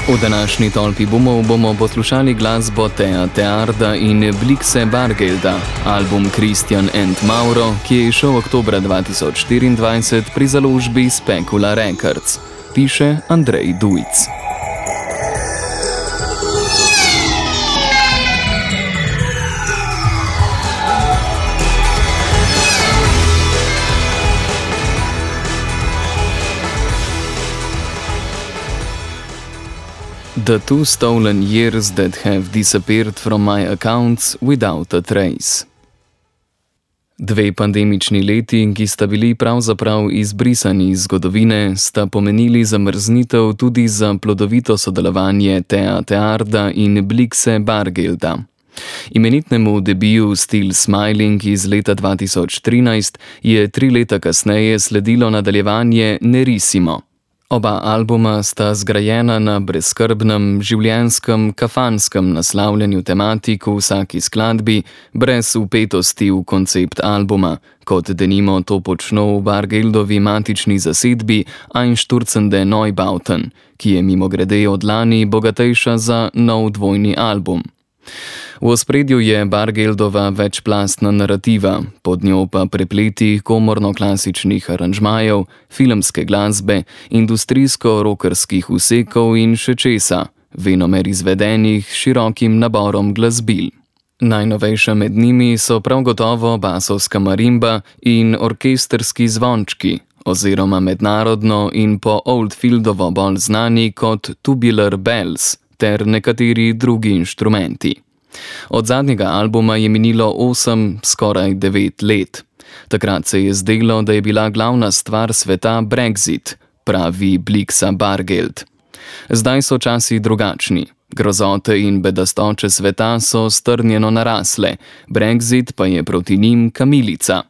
V današnji tolpi bomo poslušali glasbo Thea Thearda in Blixe Bargelda, album Christian and Mauro, ki je izšel oktobra 2024 pri založbi Specula Records, piše Andrej Dujc. The two stolen years that have disappeared from my accounts without a trace. Dve pandemični leti, ki sta bili pravzaprav izbrisani iz zgodovine, sta pomenili zamrznitev tudi za plodovito sodelovanje Thea Thearda in Blixe Bargelda. Imenitnemu debiju Still Smiling iz leta 2013 je 3 leta kasneje sledilo nadaljevanje Nerissimo. Oba albuma sta zgrajena na brezskrbnem, življenjskem, kafanskem naslavljanju tematik v vsaki skladbi, brez vpetosti v koncept albuma, kot denimo to počno v Bargeldovi matični zasedbi Einstürzende Neubauten, ki je mimogrede od lani bogatejša za nov dvojni album. V ospredju je Bargeldova večplastna narativa, pod njo pa prepleti komorno-klasičnih aranžmajev, filmske glasbe, industrijsko-rokerskih vsekov in še česa, venomer izvedenih s širokim naborom glasbil. Najnovejša med njimi so prav gotovo basovska marimba in orkestrski zvončki, oziroma mednarodno in po Oldfieldovo bolj znani kot Tubular Bells ter nekateri drugi inštrumenti. Od zadnjega albuma je minilo 8, skoraj 9 let. Takrat se je zdelo, da je bila glavna stvar sveta Brexit, pravi Blixa Bargeld. Zdaj so časi drugačni. Grozote in bedastoče sveta so strnjeno narasle, Brexit pa je proti njim kamilica.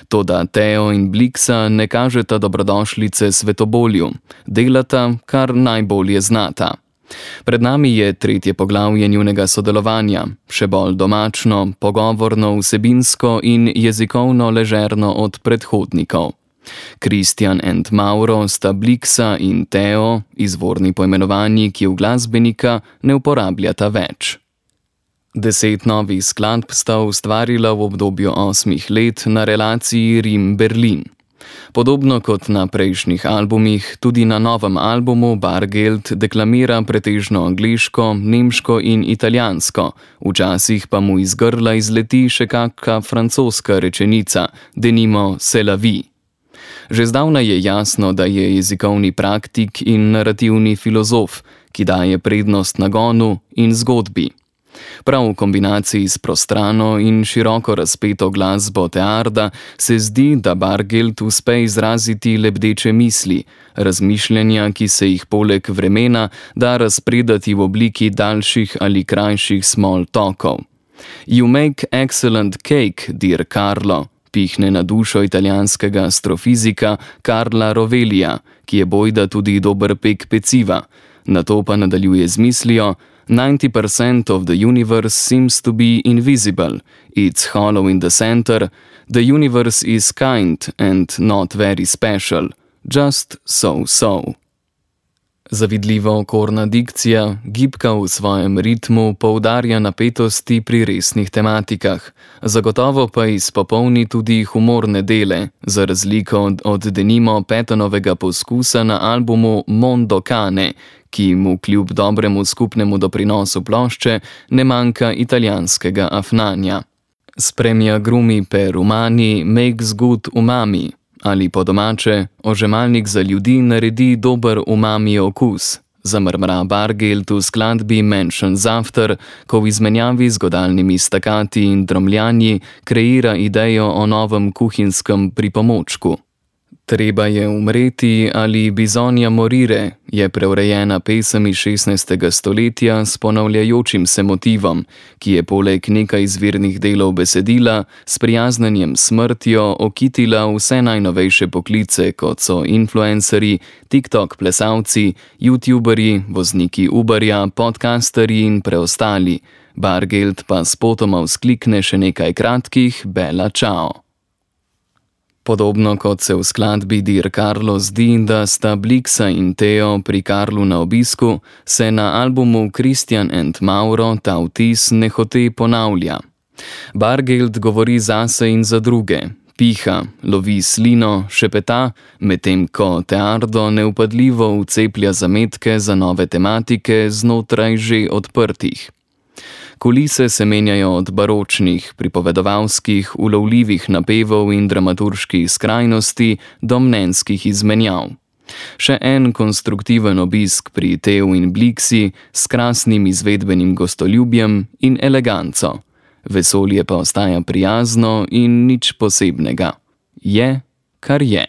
Toda Theo in Blixa ne kažeta dobrodošlice svetobolju, delata, kar najbolje znata. Pred nami je 3. poglavje njunega sodelovanja, še bolj domačno, pogovorno, vsebinsko in jezikovno ležerno od predhodnikov. Christian and Mauro sta Blixa in Theo, izvorni poimenovanji, ki v glasbenika ne uporabljata več. 10 novih skladb sta ustvarila v obdobju 8 let na relaciji Rim-Berlin. Podobno kot na prejšnjih albumih, tudi na novem albumu Bargeld deklamira pretežno angleško, nemško in italijansko, včasih pa mu iz grla izleti še kakšna francoska rečenica, denimo c'est la vie. Že zdavnaj je jasno, da je jezikovni praktik in narativni filozof, ki daje prednost nagonu in zgodbi. Prav v kombinaciji s prostrano in široko razpeto glasbo Thearda se zdi, da Bargeld uspe izraziti lebdeče misli, razmišljanja, ki se jih poleg vremena da razpredati v obliki daljših ali krajših small talkov. You make excellent cake, dear Carlo, pihne na dušo italijanskega astrofizika Carla Rovellija, ki je bojda tudi dober pek peciva. Nato pa nadaljuje z mislijo: 90% of the universe seems to be invisible. It's hollow in the center. The universe is kind and not very special. Just so. Zavidljivo okorna dikcija, gibka v svojem ritmu, poudarja napetosti pri resnih tematikah. Zagotovo pa izpopolni tudi humorne dele, za razliko od denimo Petonovega poskusa na albumu Mondo Cane, ki mu kljub dobremu skupnemu doprinosu plošče ne manjka italijanskega afnanja. Spremia grumi per umani makes good umami, ali po domače, ožemalnik za ljudi naredi dober umami okus, zamrmra Bargeld v skladbi Mansions After, ko v izmenjavi z godalnimi stakati in dromljanji kreira idejo o novem kuhinskem pripomočku. Treba je umreti ali Bisogna morire je preurejena pesem iz 16. stoletja s ponavljajočim se motivom, ki je poleg nekaj izvirnih delov besedila s prijaznjenjem smrtjo okitila vse najnovejše poklice, kot so influencerji, TikTok plesalci, youtuberji, vozniki Uberja, podcasterji in preostali. Bargeld pa spotoma vzklikne še nekaj kratkih Bella Ciao. Podobno kot se v skladbi Dear Carlo zdi, da sta Blixa in Teo pri Karlu na obisku, se na albumu Christian and Mauro ta vtis nehote ponavlja. Bargeld govori zase in za druge, piha, lovi slino, šepeta, medtem ko Teardo neupadljivo vceplja zametke za nove tematike znotraj že odprtih. Kulise se menjajo od baročnih, pripovedovalskih, ulovljivih napevov in dramaturških skrajnosti do mnenjskih izmenjav. Še en konstruktiven obisk pri Teu in Blixi s krasnim izvedbenim gostoljubjem in eleganco. Vesolje pa ostaja prijazno in nič posebnega. Je, kar je.